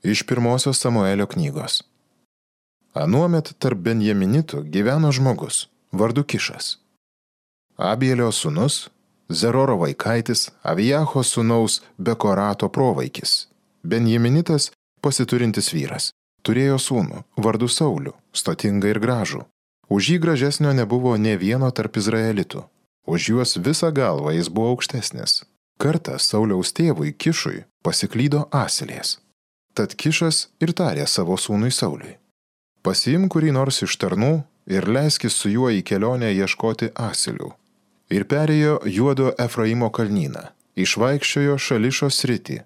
Iš pirmosios Samuelio knygos. Anuomet tarp benjaminitų gyveno žmogus, vardu Kišas. Abielio sūnus, Zeroro vaikaitis, Avijacho sūnaus Bekorato provaikis. Benjaminitas pasiturintis vyras. Turėjo sūnų, vardu Saulių, stotingą ir gražų. Už jį gražesnio nebuvo nė vieno tarp izraelitų. Už juos visą galvą jis buvo aukštesnis. Kartą Sauliaus tėvui Kišui pasiklydo asilės. Tad Kišas ir tarė savo sūnui Sauliui: pasiimk kurį nors iš tarnų ir leiskis su juo į kelionę ieškoti asilių. Ir perėjo Juodo Efraimo kalnyną, išvaikščiojo Šališo sritį,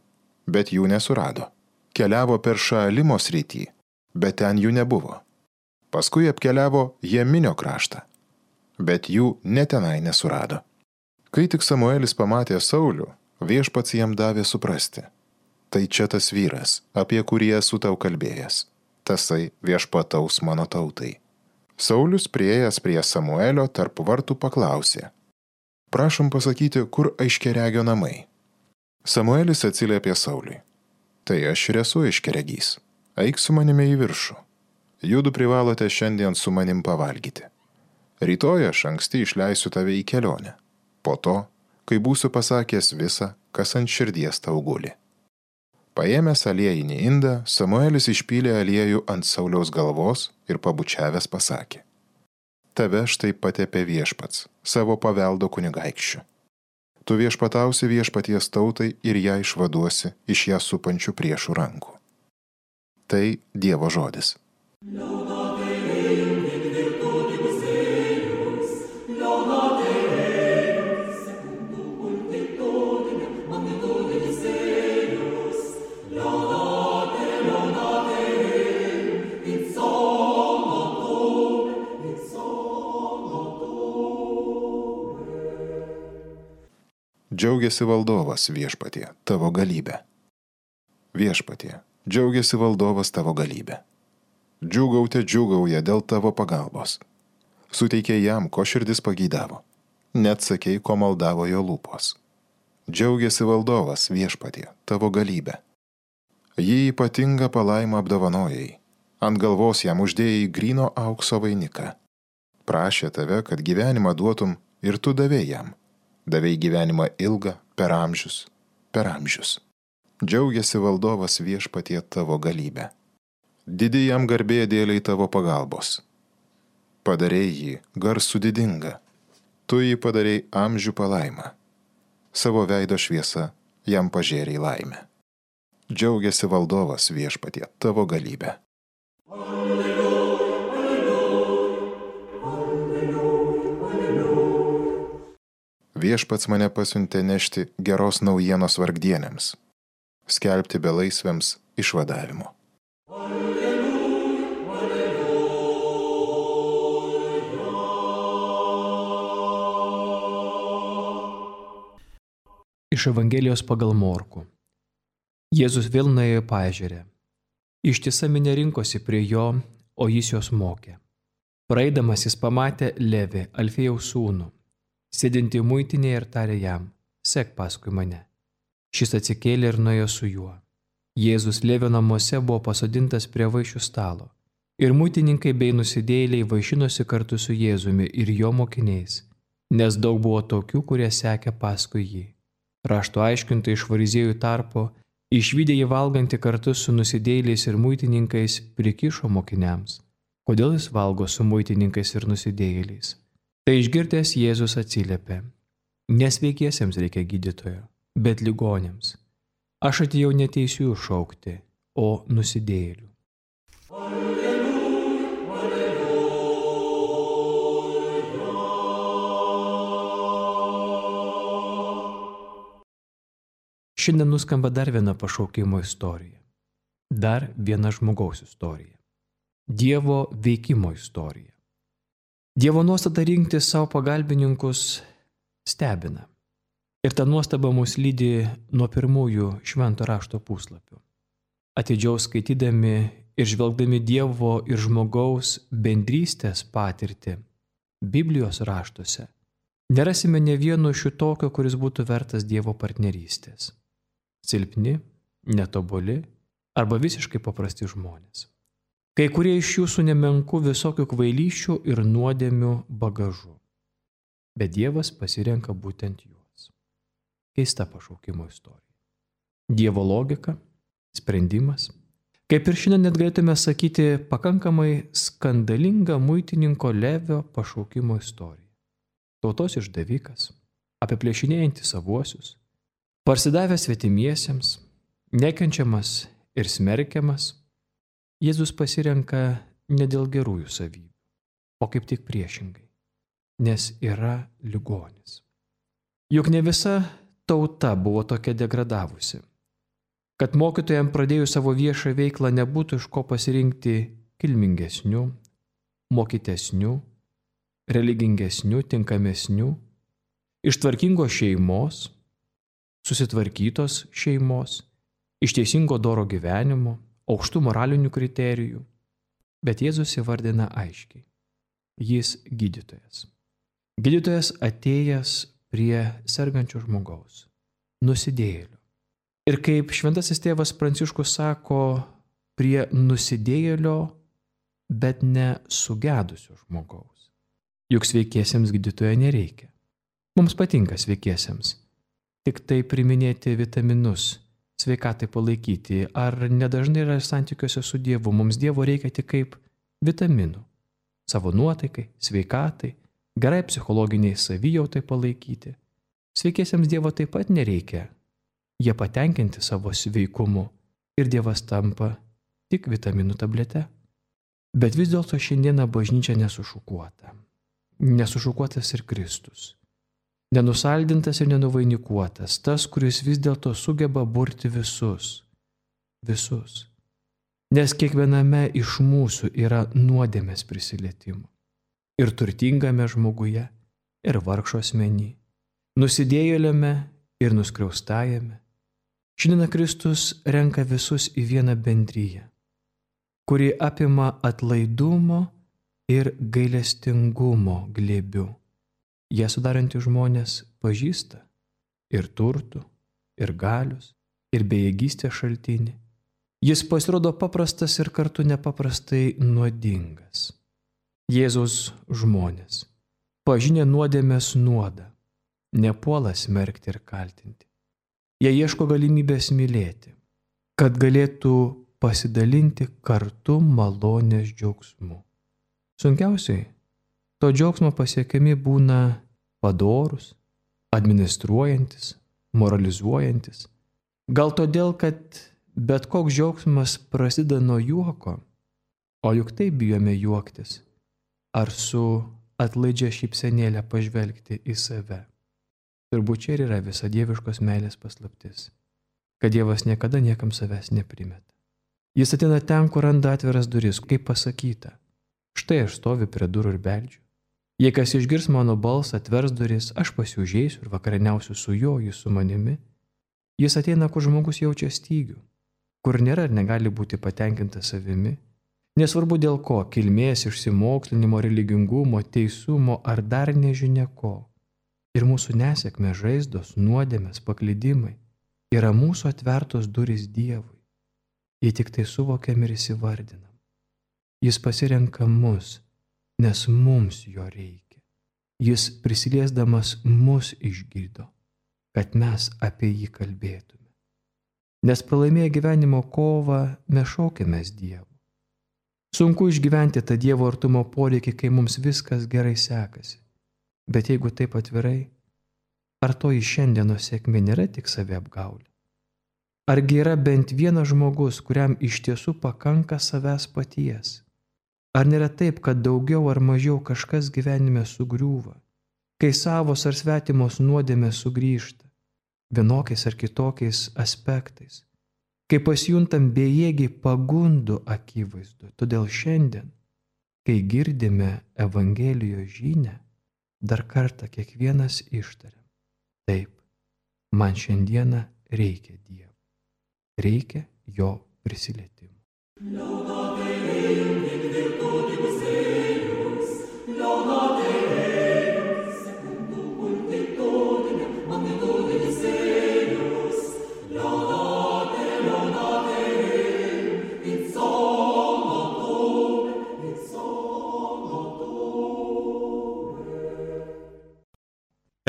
bet jų nesurado. Keliavo per Šaalimo sritį, bet ten jų nebuvo. Paskui apkeliavo Jeminio kraštą, bet jų netenai nesurado. Kai tik Samuelis pamatė Saulių, viešpats jam davė suprasti: tai čia tas vyras, apie kurį esu tau kalbėjęs. Tasai viešpataus mano tautai. Saulius priėjęs prie Samuelio tarp vartų paklausė: prašom pasakyti, kur aiškiaregio namai. Samuelis atsiliepė Sauliui: tai aš ir esu aiškiaregys. Eik su manimi į viršų. Judu privalote šiandien su manim pavalgyti. Rytoj aš anksti išleisiu tave į kelionę. Po to, kai būsiu pasakęs visą, kas ant širdies tau guli. Paėmęs aliejinį indą, Samuelis išpylė aliejų ant Sauliaus galvos ir pabučiavęs pasakė: tave štai patepė viešpats, savo paveldo kunigaikščiu. Tu viešpatausi viešpaties tautai ir ją išvaduosi iš ją supančių priešų rankų. Tai Dievo žodis. Džiaugiasi valdovas viešpatie tavo galybę. Viešpatie, džiaugiasi valdovas tavo galybę. Džiūgaute džiūgauja dėl tavo pagalbos. Suteikė jam, ko širdis pageidavo. Net sakei, ko maldavo jo lūpos. Džiaugiasi valdovas viešpatie tavo galybę. Jį ypatingą palaimą apdovanojai. Ant galvos jam uždėjai gryno aukso vainiką. Prašė tave, kad gyvenimą duotum, ir tu davei jam. Davei gyvenimą ilgą per amžius, per amžius. Džiaugiasi valdovas viešpatie tavo galybę. Didi jam garbė dėliai tavo pagalbos. Padarei jį garsų didingą. Tu jį padarei amžių palaimą. Savo veido šviesa jam pažėrei laimę. Džiaugiasi valdovas viešpatie tavo galybę. Viešpats mane pasiuntė nešti geros naujienos vargdienėms, skelbti belaisviams išvadavimo. Iš Evangelijos pagal Morkų. Jėzus vėl nuėjo į paežerę. Ištisa minia rinkosi prie jo, o jis jos mokė. Praeidamas jis pamatė Levį, Alfėjaus sūnų, sėdintį muitinėje, ir tarė jam: sek paskui mane. Šis atsikėlė ir nuėjo su juo. Jėzus Levio namuose buvo pasodintas prie vaišių stalo. Ir muitininkai bei nusidėjėliai vaišinosi kartu su Jėzumi ir jo mokiniais, nes daug buvo tokių, kurie sekė paskui jį. Rašto aiškintojai iš fariziejų tarpo, išvydę jį valgantį kartu su nusidėjėliais ir muitininkais, prikišo mokiniams: kodėl jis valgo su muitininkais ir nusidėjėliais? Tai išgirdęs Jėzus atsiliepė: nesveikiesiems reikia gydytojo, bet ligoniams. Aš atėjau ne teisiųjų šaukti, o nusidėjėlių. Šiandien nuskamba dar viena pašaukimo istorija. Dar viena žmogaus istorija. Dievo veikimo istorija. Dievo nuostata rinkti savo pagalbininkus stebina. Ir ta nuostaba mus lydi nuo pirmųjų švento rašto puslapių. Atidžiau skaitydami ir žvelgdami Dievo ir žmogaus bendrystės patirtį Biblijos raštuose, nerasime ne vieno šitokio, kuris būtų vertas Dievo partnerystės. Silpni, netobuli, arba visiškai paprasti žmonės. Kai kurie iš jų su nemenku visokių kvailyščių ir nuodėmių bagažu. Bet Dievas pasirenka būtent juos. Keista pašaukimo istorija. Dievo logika, sprendimas. Kaip ir šiandien net galėtume sakyti, pakankamai skandalinga muitininko Levio pašaukimo istorija. Tautos išdavikas, apiplėšinėjantis savuosius, parsidavęs svetimiesiems, nekenčiamas ir smerkiamas, Jėzus pasirenka ne dėl gerųjų savybių, o kaip tik priešingai, nes yra ligonis. Juk ne visa tauta buvo tokia degradavusi, kad mokytojams pradėjus savo viešą veiklą nebūtų iš ko pasirinkti kilmingesnių, mokytesnių, religingesnių, tinkamesnių, iš tvarkingos šeimos, susitvarkytos šeimos, iš teisingo doro gyvenimo, aukštų moralinių kriterijų. Bet Jėzus įvardina aiškiai. Jis gydytojas. Gydytojas atėjęs prie sergančio žmogaus, nusidėjėlio. Ir kaip šventasis tėvas Pranciškus sako, prie nusidėjėlio, bet ne sugedusio žmogaus. Juk sveikiesiems gydytojo nereikia. Mums patinka sveikiesiems tik tai priminėti vitaminus, sveikatai palaikyti, ar nedažnai yra santykiuose su Dievu. Mums Dievo reikia tik kaip vitaminų. Savo nuotaikai, sveikatai, gerai psichologiniai savijautai palaikyti. Sveikiesiems Dievo taip pat nereikia. Jie patenkinti savo sveikumu ir Dievas tampa tik vitaminų tablete. Bet vis dėlto šiandieną bažnyčia nesušukuota. Nesušukuotas ir Kristus. Nenusaldintas ir nenuvainikuotas, tas, kuris vis dėlto sugeba burti visus. Visus. Nes kiekviename iš mūsų yra nuodėmės prisilietimų. Ir turtingame žmoguje, ir vargšo asmeny, nusidėjėliame ir nuskriaustajame. Šiandien Kristus renka visus į vieną bendryją, kuri apima atlaidumo ir gailestingumo glėbiu. Jie sudarantys žmonės pažįsta ir turtų, ir galius, ir bejėgystės šaltinį. Jis pasirodo paprastas ir kartu nepaprastai nuodingas. Jėzaus žmonės, pažinę nuodėmės nuodą, nepuola smerkti ir kaltinti. Jie ieško galimybės mylėti, kad galėtų pasidalinti kartu malonės džiaugsmu. Sunkiausiai to džiaugsmo pasiekiami būna padorūs, administruojantis, moralizuojantis. Gal todėl, kad bet koks džiaugsmas prasideda nuo juoko, o juk taip bijome juoktis, ar su atlaidžia šypsenėlę pažvelgti į save. Turbūt čia ir yra visa dieviškos meilės paslaptis, kad Dievas niekada niekam savęs neprimeta. Jis ateina ten, kur randa atviras duris, kaip pasakyta. Štai aš stoviu prie durų ir beldžiu. Jei kas išgirs mano balsą, atvers duris, aš pas jį užeisiu ir vakarieniausiu su juo, jis su manimi. Jis ateina, kur žmogus jaučia stygių, kur nėra ir negali būti patenkintas savimi. Nesvarbu dėl ko, kilmės, išsimokslinimo, religingumo, teisumo ar dar nežinia ko. Ir mūsų nesėkmė, žaizdos, nuodėmės, paklydimai yra mūsų atvertos durys Dievui. Jei tik tai suvokiam ir įsivardinam. Jis pasirenka mus, nes mums jo reikia. Jis prisiliesdamas mus išgydo, kad mes apie jį kalbėtume. Nes pralaimėję gyvenimo kovą mes šaukiamės Dievu. Sunku išgyventi tą Dievo artumo poreikį, kai mums viskas gerai sekasi. Bet jeigu taip atvirai, ar toji šiandienos sėkmė nėra tik saviapgaulė? Argi yra bent vienas žmogus, kuriam iš tiesų pakanka savęs paties? Ar nėra taip, kad daugiau ar mažiau kažkas gyvenime sugriūva, kai savos ar svetimos nuodėmės sugrįžta, vienokiais ar kitokiais aspektais, kai pasijuntam bejėgiai pagundų akivaizdu? Todėl šiandien, kai girdime Evangelijos žinią, dar kartą kiekvienas ištariam: taip, man šiandieną reikia Dievo, reikia jo prisilietimo.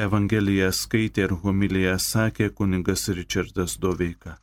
Evangeliją skaitė ir homiliją sakė kunigas Ričardas Doveika.